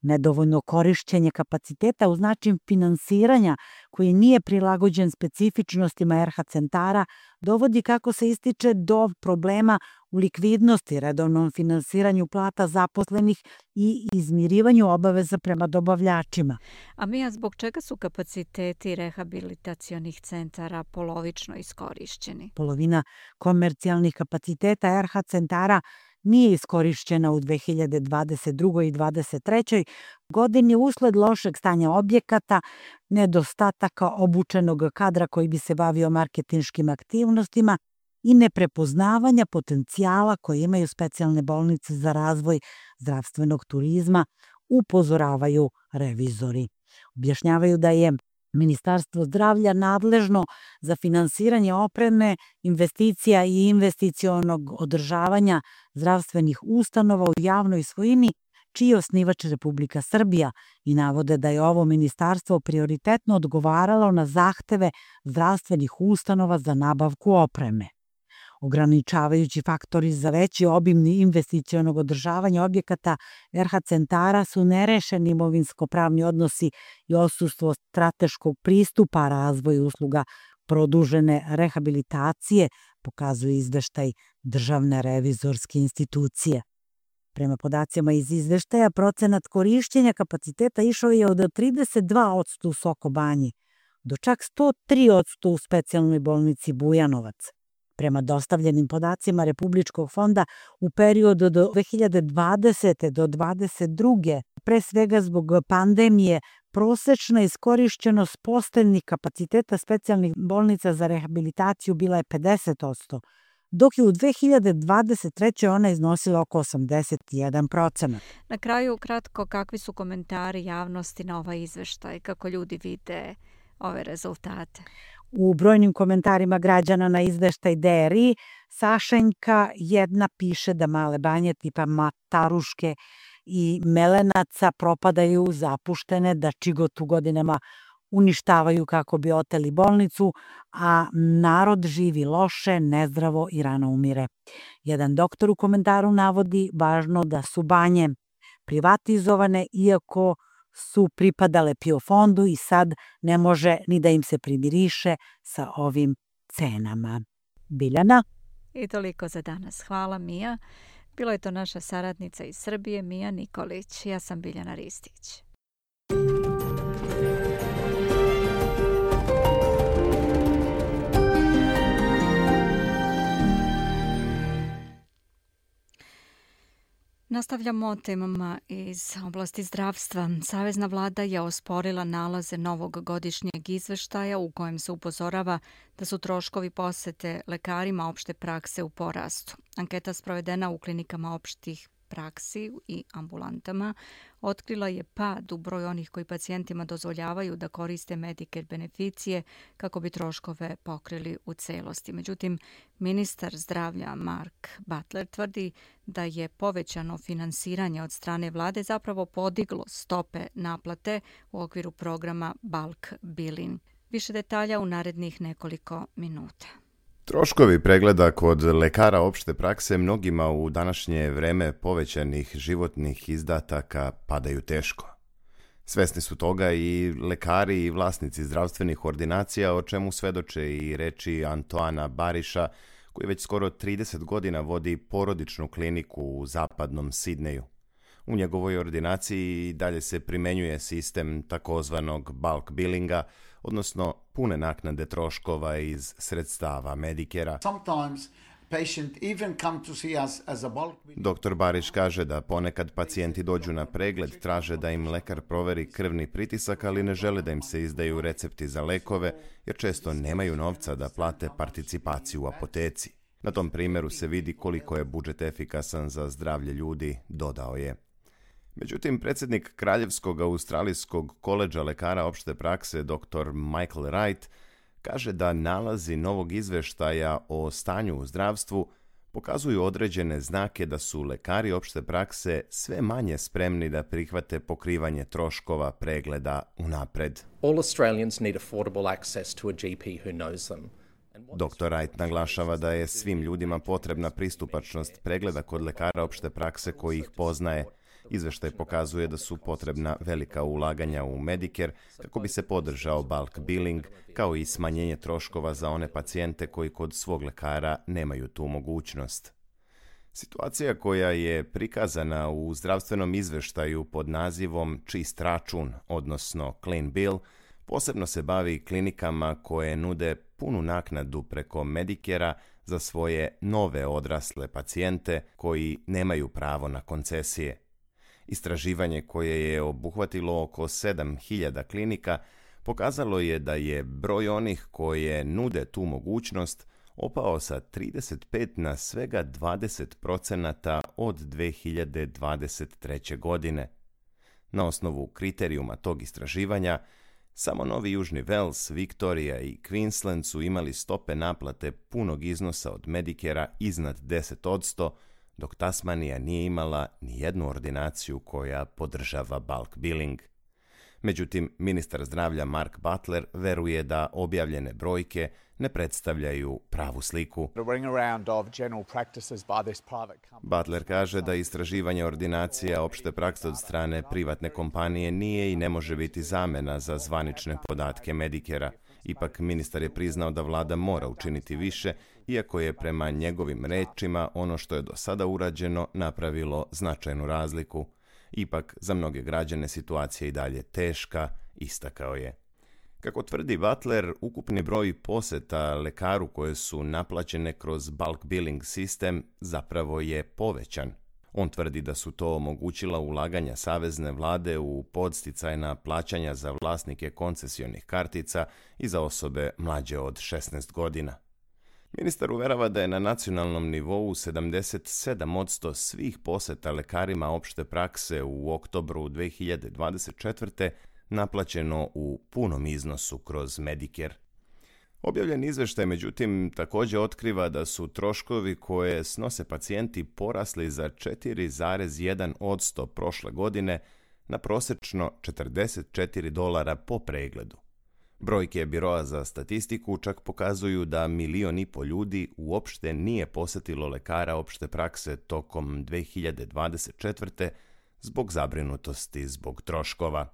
Nedovoljno korišćenje kapaciteta uz način finansiranja koji nije prilagođen specifičnostima RH centara dovodi, kako se ističe, do problema u likvidnosti, redovnom finansiranju plata zaposlenih i izmirivanju obaveza prema dobavljačima. A Mija, zbog čega su kapaciteti rehabilitacionih centara polovično iskorišćeni? Polovina komercijalnih kapaciteta RH centara nije iskorišćena u 2022. i 2023. godini usled lošeg stanja objekata, nedostataka obučenog kadra koji bi se bavio marketinškim aktivnostima i neprepoznavanja potencijala koje imaju specijalne bolnice za razvoj zdravstvenog turizma, upozoravaju revizori. Objašnjavaju da je Ministarstvo zdravlja nadležno za finansiranje opreme, investicija i investicionog održavanja zdravstvenih ustanova u javnoj svojini, čiji je osnivač Republika Srbija i navode da je ovo ministarstvo prioritetno odgovaralo na zahteve zdravstvenih ustanova za nabavku opreme. Ograničavajući faktori za veći obim investicionog održavanja objekata RH centara su nerešeni imovinsko-pravni odnosi i odsustvo strateškog pristupa razvoju usluga produžene rehabilitacije, pokazuje izveštaj Državne revizorske institucije. Prema podacima iz izveštaja, procenat korišćenja kapaciteta išao je od 32% u Soko Banji do čak 103% u specijalnoj bolnici Bujanovac. Prema dostavljenim podacima Republičkog fonda, u periodu do 2020. do 2022. pre svega zbog pandemije, prosečna iskorišćenost posteljnih kapaciteta specijalnih bolnica za rehabilitaciju bila je 50%, dok je u 2023. ona iznosila oko 81%. Na kraju, kratko, kakvi su komentari javnosti na ovaj izveštaj, kako ljudi vide ove rezultate? U brojnim komentarima građana na izveštaj DRI, Sašenjka jedna piše da male banje tipa Mataruške i Melenaca propadaju zapuštene, da Čigotu godinama uništavaju kako bi oteli bolnicu, a narod živi loše, nezdravo i rano umire. Jedan doktor u komentaru navodi važno da su banje privatizovane, iako su pripadale PIO fondu i sad ne može ni da im se primiriše sa ovim cenama. Biljana? I toliko za danas. Hvala, Mija. Bilo je to naša saradnica iz Srbije, Mija Nikolić. Ja sam Biljana Ristić. Nastavljamo temama iz oblasti zdravstva. Savezna vlada je osporila nalaze novog godišnjeg izveštaja u kojem se upozorava da su troškovi posete lekarima opšte prakse u porastu. Anketa sprovedena u klinikama opštih praksi i ambulantama otkrila je pad u broju onih koji pacijentima dozvoljavaju da koriste Medicare beneficije kako bi troškove pokrili u celosti. Međutim, ministar zdravlja Mark Butler tvrdi da je povećano finansiranje od strane vlade zapravo podiglo stope naplate u okviru programa Bulk Billing. Više detalja u narednih nekoliko minuta. Troškovi pregleda kod lekara opšte prakse mnogima u današnje vreme povećanih životnih izdataka padaju teško. Svesni su toga i lekari i vlasnici zdravstvenih ordinacija, o čemu svedoče i reči Antoana Bariša, koji već skoro 30 godina vodi porodičnu kliniku u zapadnom Sidneju. U njegovoj ordinaciji dalje se primenjuje sistem takozvanog bulk billinga, odnosno pune naknade troškova iz sredstava Medicare-a. Dr. Bariš kaže da ponekad pacijenti dođu na pregled, traže da im lekar proveri krvni pritisak, ali ne žele da im se izdaju recepti za lekove, jer često nemaju novca da plate participaciju u apoteci. Na tom primjeru se vidi koliko je budžet efikasan za zdravlje ljudi, dodao je. Međutim, predsjednik Kraljevskog australijskog koledža lekara opšte prakse dr. Michael Wright kaže da nalazi novog izveštaja o stanju u zdravstvu pokazuju određene znake da su lekari opšte prakse sve manje spremni da prihvate pokrivanje troškova pregleda unapred. All Australians need affordable access to a GP who knows them. Dr. Wright naglašava da je svim ljudima potrebna pristupačnost pregleda kod lekara opšte prakse koji ih poznaje. Izveštaj pokazuje da su potrebna velika ulaganja u Medicare kako bi se podržao bulk billing, kao i smanjenje troškova za one pacijente koji kod svog lekara nemaju tu mogućnost. Situacija koja je prikazana u zdravstvenom izveštaju pod nazivom čist račun, odnosno clean bill, posebno se bavi klinikama koje nude punu naknadu preko Medicare-a za svoje nove odrasle pacijente koji nemaju pravo na koncesije. Istraživanje koje je obuhvatilo oko 7.000 klinika pokazalo je da je broj onih koje nude tu mogućnost opao sa 35 na svega 20% od 2023. godine. Na osnovu kriterijuma tog istraživanja, samo Novi Južni Vels, Viktorija i Queensland su imali stope naplate punog iznosa od Medicare-a iznad 10%, dok Tasmanija nije imala ni jednu ordinaciju koja podržava bulk billing. Međutim, ministar zdravlja Mark Butler veruje da objavljene brojke ne predstavljaju pravu sliku. Butler kaže da istraživanje ordinacija opšte prakse od strane privatne kompanije nije i ne može biti zamena za zvanične podatke Medicare-a. Ipak, ministar je priznao da vlada mora učiniti više, iako je prema njegovim rečima ono što je do sada urađeno napravilo značajnu razliku. Ipak, za mnoge građane situacija je i dalje teška, istakao je. Kako tvrdi Butler, ukupni broj poseta lekaru koje su naplaćene kroz bulk billing sistem zapravo je povećan. On tvrdi da su to omogućila ulaganja savezne vlade u podsticajna plaćanja za vlasnike koncesionih kartica i za osobe mlađe od 16 godina. Ministar uverava da je na nacionalnom nivou 77% svih poseta lekarima opšte prakse u oktobru 2024. naplaćeno u punom iznosu kroz Medicare. Objavljen izveštaj, međutim, također otkriva da su troškovi koje snose pacijenti porasli za 4,1% prošle godine na prosečno $44 po pregledu. Brojke Biroa za statistiku čak pokazuju da 1,5 miliona ljudi uopšte nije posetilo lekara opšte prakse tokom 2024. zbog zabrinutosti zbog troškova.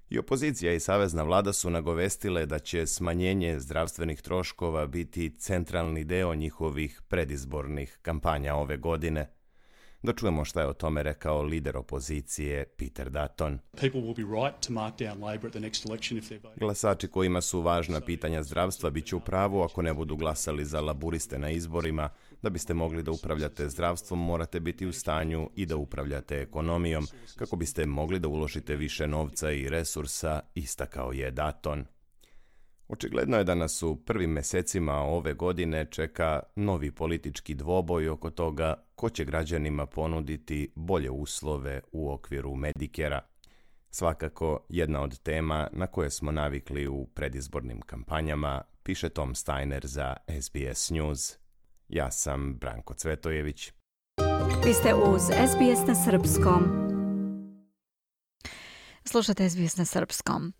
I opozicija i savezna vlada su nagovestile da će smanjenje zdravstvenih troškova biti centralni deo njihovih predizbornih kampanja ove godine. Da čujemo šta je o tome rekao lider opozicije Peter Dutton. Glasači kojima su važna pitanja zdravstva bit će u pravu ako ne budu glasali za laburiste na izborima. Da biste mogli da upravljate zdravstvom, morate biti u stanju i da upravljate ekonomijom, kako biste mogli da uložite više novca i resursa, istakao je Dutton. Očigledno je da nas u prvim mesecima ove godine čeka novi politički dvoboj oko toga ko će građanima ponuditi bolje uslove u okviru Medicare-a. Svakako jedna od tema na koje smo navikli u predizbornim kampanjama, piše Tom Steiner za SBS News. Ja sam Branko Cvetojević. Vi ste uz SBS na srpskom. Slušate SBS na srpskom.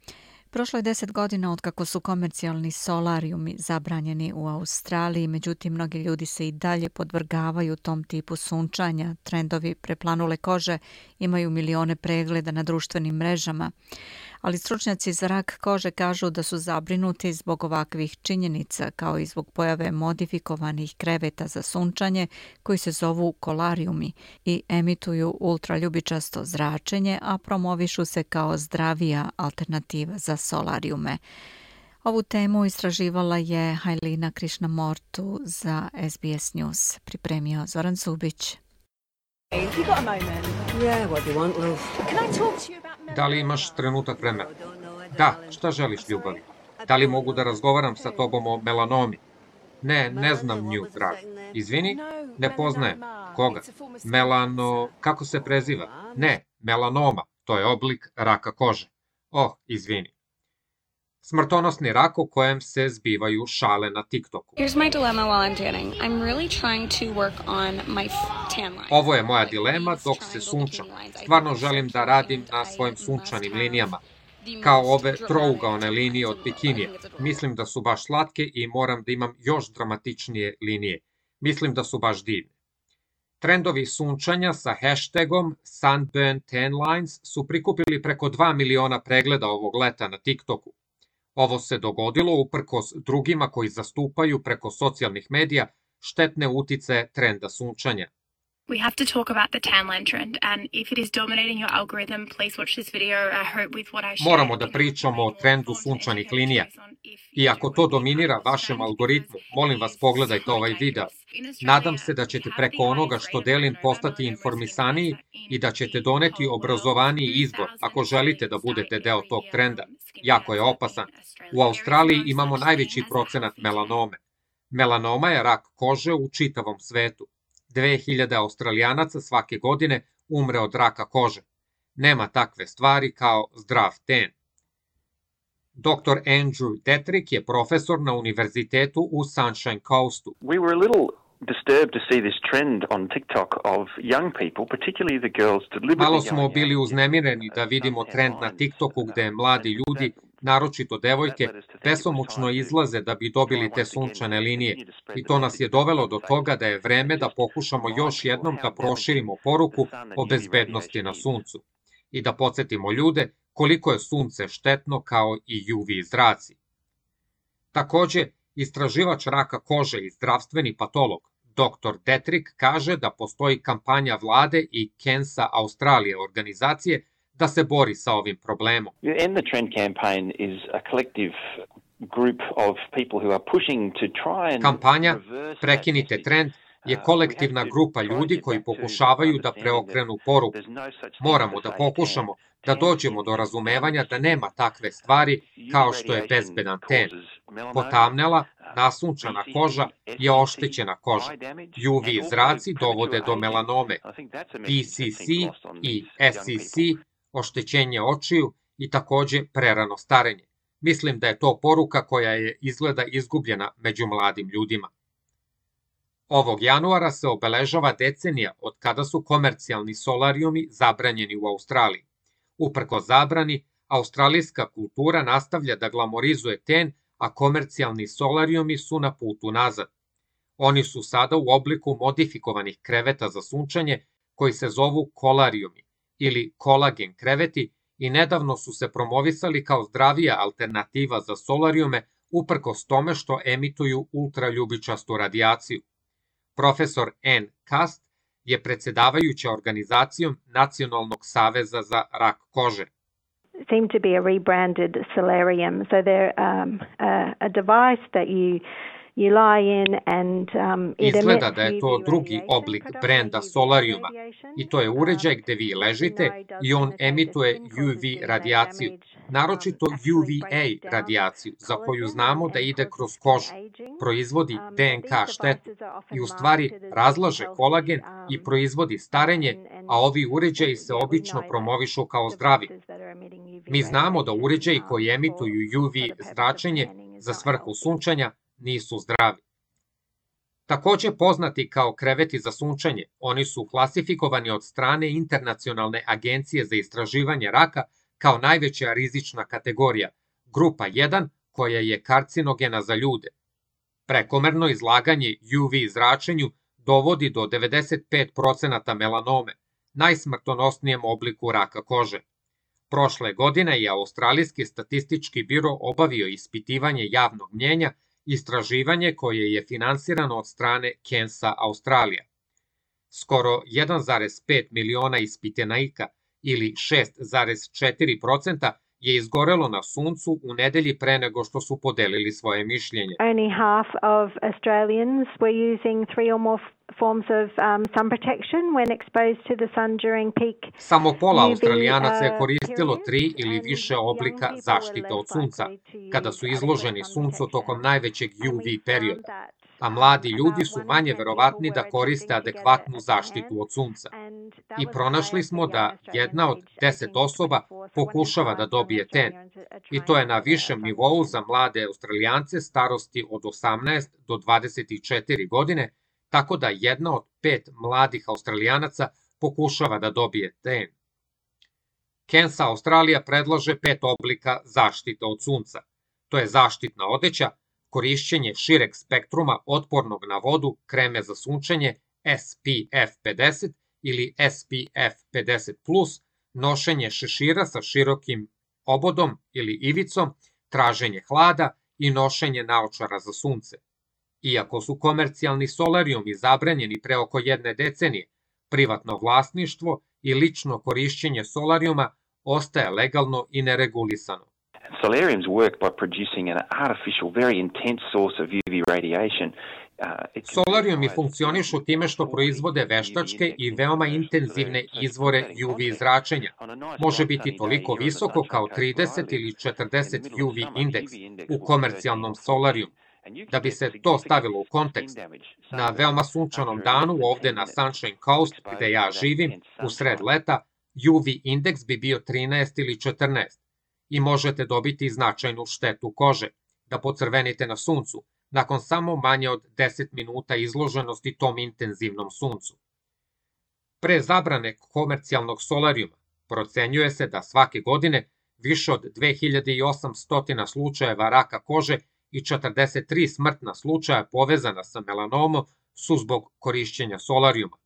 Prošlo je 10 godina od kako su komercijalni solarijumi zabranjeni u Australiji, međutim mnogi ljudi se i dalje podvrgavaju tom tipu sunčanja. Trendovi preplanule kože imaju milione pregleda na društvenim mrežama, ali stručnjaci za rak kože kažu da su zabrinuti zbog ovakvih činjenica, kao i zbog pojave modifikovanih kreveta za sunčanje koji se zovu kolarijumi i emituju ultraljubičasto zračenje, a promovišu se kao zdravija alternativa za solarijume. Ovu temu istraživala je Hajlina Krišnamortu za SBS News. Pripremio Zoran Subić. Da li imaš trenutak vremena? Da, šta želiš, ljubavi? Da li mogu da razgovaram sa tobom o melanomi? Ne, ne znam nju, drag. Izvini, ne poznajem. Koga? Kako se preziva? Ne, melanoma, to je oblik raka kože. Izvini. Smrtonosni rak o kojem se zbivaju šale na TikToku. Ovo je moja dilema dok se sunčam. Stvarno želim da radim na svojim sunčanim linijama. Kao ove trougaone linije od bikinija. Mislim da su baš slatke i moram da imam još dramatičnije linije. Mislim da su baš divne. Trendovi sunčanja sa hashtagom #SunburnTanLines su prikupili preko 2 miliona pregleda ovog leta na TikToku. Ovo se dogodilo uprkos drugima koji zastupaju preko socijalnih medija štetne uticaje trenda sunčanja. We have to talk about the tan line trend, and if it is dominating your algorithm, please watch this video. I hope with what I share. Moramo da pričamo o trendu sunčanih linija. I ako to dominira vašem algoritmu, molim vas pogledajte ovaj video. Nadam se da ćete preko onoga što delim postati informisaniji i da ćete doneti obrazovaniji izbor ako želite da budete deo tog trenda. Jako je opasan. U Australiji imamo najveći procenat melanome. Melanoma je rak kože u čitavom svetu. 2000 Australijanaca svake godine umre od raka kože. Nema takve stvari kao zdrav ten. Dr. Andrew Detrick je profesor na univerzitetu u Sunshine Coastu. We were a little disturbed to see this trend on TikTok of young people, particularly the girls, deliberately Malo smo bili uznemireni da vidimo trend na TikToku gde mladi ljudi, naročito devojke, besomučno izlaze da bi dobili te sunčane linije. I to nas je dovelo do toga da je vreme da pokušamo još jednom da proširimo poruku o bezbednosti na suncu i da podsjetimo ljude koliko je sunce štetno kao i UV zraci. Takođe, istraživač raka kože i zdravstveni patolog Dr. Detrick kaže da postoji kampanja vlade i Cancer Australia organizacije da se bori sa ovim problemom. End the Trend campaign is a collective group of people who are pushing to try and Kampanja Prekinite trend je kolektivna grupa ljudi koji pokušavaju da preokrenu poruku. Moramo da pokušamo da dođemo do razumevanja da nema takve stvari kao što je bezbedan ten. Potamnela, nasunčana koža je oštećena koža. UV zraci dovode do melanome. PCC i SCC, oštećenje očiju i takođe prerano starenje. Mislim da je to poruka koja je izgleda izgubljena među mladim ljudima. Ovog januara se obeležava decenija od kada su komercijalni solarijumi zabranjeni u Australiji. Uprko zabrani, australijska kultura nastavlja da glamorizuje ten, a komercijalni solarijumi su na putu nazad. Oni su sada u obliku modifikovanih kreveta za sunčanje koji se zovu kolarijumi ili kolagen kreveti i nedavno su se promovisali kao zdravija alternativa za solarijume uprkos tome što emituju ultraljubičastu radijaciju. Profesor Ann Cast je predsedavajuća organizacijom Nacionalnog saveza za rak kože. Seem to be a rebranded solarium. So they're a device that you lie in and Izgleda da je to drugi oblik brenda solarijuma i to je uređaj gde vi ležite i on emituje UV radijaciju, naročito UVA radijaciju za koju znamo da ide kroz kožu, proizvodi DNK štetu i u stvari razlaže kolagen i proizvodi starenje, a ovi uređaji se obično promovišu kao zdravi. Mi znamo da uređaji koji emituju UV zračenje za svrhu sunčanja nisu zdravi. Takođe poznati kao kreveti za sunčanje, oni su klasifikovani od strane Internacionalne agencije za istraživanje raka kao najveća rizična kategorija, grupa 1 koja je karcinogena za ljude. Prekomerno izlaganje UV zračenju dovodi do 95% melanome, najsmrtonosnijem obliku raka kože. Prošle godine je Australijski statistički biro obavio ispitivanje javnog mnjenja, istraživanje koje je finansirano od strane Cancer Australia. Skoro 1,5 miliona ispitanika ili 6,4% je izgorelo na suncu u nedelji pre nego što su podelili svoje mišljenje. Only half of Australians were using 3 or more forms of sun protection when exposed to the sun during peak. Samo pola Australijanaca je koristilo 3 ili više oblika zaštite od sunca, kada su izloženi suncu tokom najvećeg UV perioda, a mladi ljudi su manje verovatni da koriste adekvatnu zaštitu od sunca. I pronašli smo da 1 od 10 osoba pokušava da dobije ten, i to je na višem nivou za mlade Australijance starosti od 18 do 24 godine, tako da 1 od 5 mladih Australijanaca pokušava da dobije ten. Cancer Australia predlaže 5 oblika zaštite od sunca. To je zaštitna odeća, korišćenje šireg spektruma otpornog na vodu kreme za sunčanje SPF 50 ili SPF 50+, nošenje šešira sa širokim obodom ili ivicom, traženje hlada i nošenje naočara za sunce. Iako su komercijalni solarijumi zabranjeni pre oko 1 decenije, privatno vlasništvo i lično korišćenje solarijuma ostaje legalno i neregulisano. Solariums work by producing an artificial, very intense source of UV radiation. Solarijumi funkcionišu time što proizvode veštačke i veoma intenzivne izvore UV zračenja. Može biti toliko visoko kao 30 ili 40 UV indeks u komercijalnom solarijumu. Da bi se to stavilo u kontekst, na veoma sunčanom danu ovde na Sunshine Coast, gde ja živim, u sred leta, UV indeks bi bio 13 ili 14 i možete dobiti značajnu štetu kože, da pocrvenite na suncu, nakon samo manje od 10 minuta izloženosti tom intenzivnom suncu. Pre zabrane komercijalnog solarijuma procenjuje se da svake godine više od 2800 slučajeva raka kože i 43 smrtna slučaja povezana sa melanomom su zbog korišćenja solarijuma.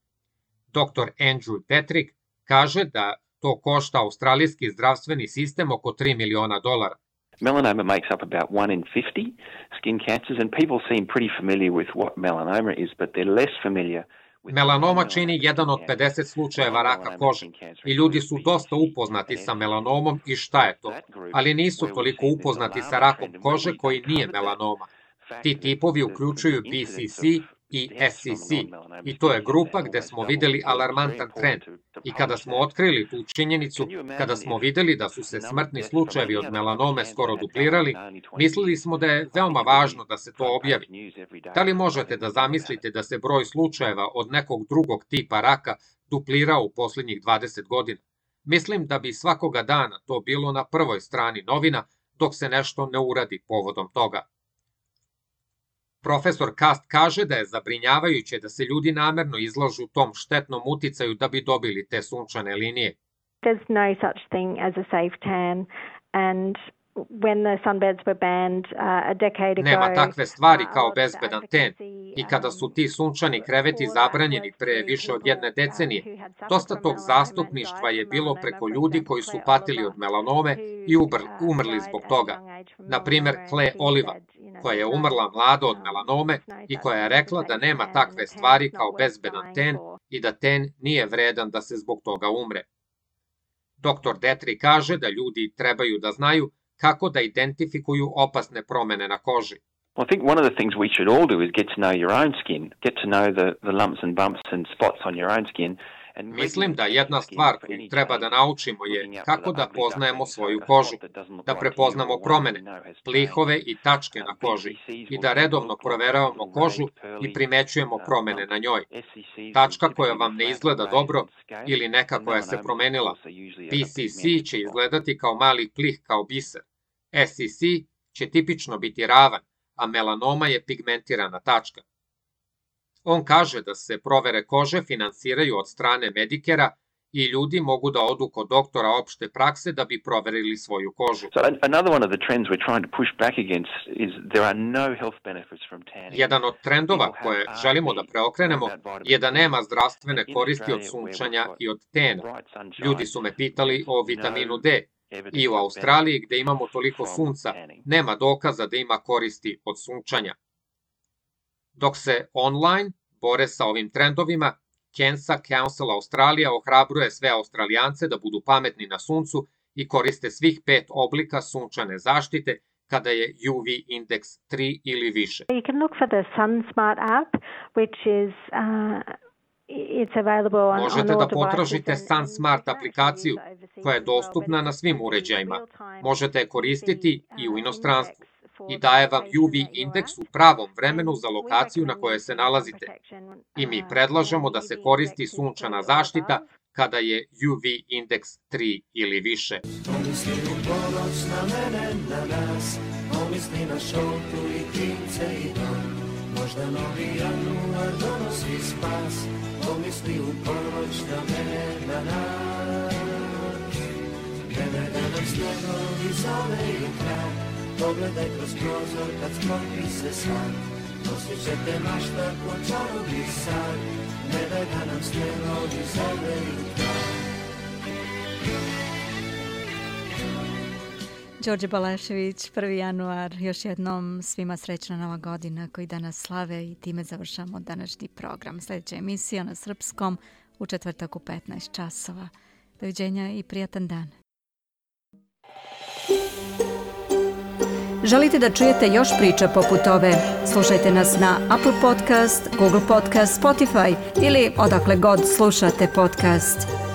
Dr. Andrew Detrick kaže da to košta australijski zdravstveni sistem oko $3 miliona. Melanoma makes up about 1 in 50 skin cancers, and people seem pretty familiar with what melanoma is, but they're less familiar. Melanoma čini 1 od 50 slučajeva raka kože i ljudi su dosta upoznati sa melanomom i šta je to, ali nisu toliko upoznati sa rakom kože koji nije melanoma. Ti tipovi uključuju BCC i SCC i to je grupa gde smo videli alarmantan trend. I kada smo otkrili tu činjenicu, kada smo videli da su se smrtni slučajevi od melanome skoro duplirali, mislili smo da je veoma važno da se to objavi. Da li možete da zamislite da se broj slučajeva od nekog drugog tipa raka duplirao u poslednjih 20 godina? Mislim da bi svakoga dana to bilo na prvoj strani novina dok se nešto ne uradi povodom toga. Profesor Kast kaže da je zabrinjavajuće da se ljudi namerno izlažu tom štetnom uticaju da bi dobili te sunčane linije. There's no such thing as a safe tan, and when the sunbeds were banned a decade ago. Nema takve stvari kao bezbedan ten. I kada su ti sunčani kreveti zabranjeni pre više od 1 decenije, dosta tog zastupništva je bilo preko ljudi koji su patili od melanome i umrli zbog toga. Na primer, Claire Oliva, koja je umrla mlado od melanome i koja je rekla da nema takve stvari kao bezbedan ten i da ten nije vredan da se zbog toga umre. Dr. Detrick kaže da ljudi trebaju da znaju kako da identifikuju opasne promene na koži. I think one of the things we should all do is get to know your own skin, get to know the lumps and bumps and spots on your own skin. Mislim da jedna stvar koju treba da naučimo je kako da poznajemo svoju kožu, da prepoznamo promene, plihove i tačke na koži i da redovno proveravamo kožu i primećujemo promene na njoj. Tačka koja vam ne izgleda dobro ili neka koja se promenila. BCC će izgledati kao mali plih kao biser. SCC će tipično biti ravan, a melanoma je pigmentirana tačka. On kaže da se provere kože finansiraju od strane Medikera i ljudi mogu da odu kod doktora opšte prakse da bi proverili svoju kožu. Jedan od trendova koje želimo da preokrenemo je da nema zdravstvene koristi od sunčanja i od tena. Ljudi su me pitali o vitaminu D. I u Australiji, gde imamo toliko sunca, nema dokaza da ima koristi od sunčanja. Dok se online bore sa ovim trendovima, Cancer Council Australija ohrabruje sve Australijance da budu pametni na suncu i koriste svih 5 oblika sunčane zaštite kada je UV indeks 3 ili više. You can look for the SunSmart app, which is it's available on Možete da potražite SunSmart aplikaciju koja je dostupna na svim uređajima. Možete je koristiti i u inostranstvu i daje vam UV indeks u pravom vremenu za lokaciju na kojoj se nalazite. I mi predlažemo da se koristi sunčana zaštita kada je UV indeks 3 ili više. Pomisli u ponoć na mene, na nas, pomisli na šoltu i klince i dom. Možda novi januar donosi spas, pomisli u ponoć na mene, na nas. Mene da nam snjegovi zoveju kraj, pogledaj kroz prozor kad sklopi se san. Osjećaj te mašta ko čarobi san, ne daj da nam snjegovi zoveju kraj. Đorđe Balešević, 1. januar, još jednom svima srećna nova godina koji danas slave i time završamo današnji program. Sljedeća emisija na srpskom u četvrtak u 15 časova. Doviđenja i prijatan dan. Želite da čujete još priča poput ove? Slušajte nas na Apple Podcast, Google Podcast, Spotify ili odakle god slušate podcast.